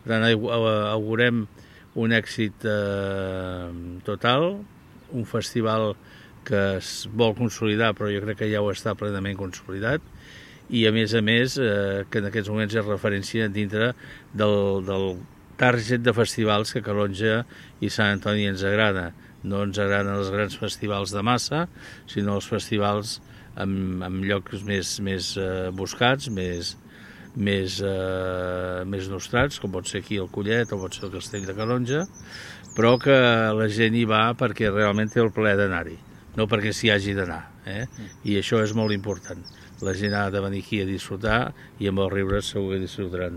Per tant, augurem un èxit total, un festival que es vol consolidar, però jo crec que ja ho està plenament consolidat, i a més, que en aquests moments és referència dintre del target de festivals que Calonge i Sant Antoni ens agrada. No ens agraden els grans festivals de massa, sinó els festivals en llocs més buscats, més nostrats, com pot ser aquí el Collet o pot ser el Castell de Calonge, però que la gent hi va perquè realment té el plaer d'anar-hi, no perquè s'hi hagi d'anar, i això és molt important. La gent ha de venir aquí a disfrutar i amb els riures segur que disfrutaran.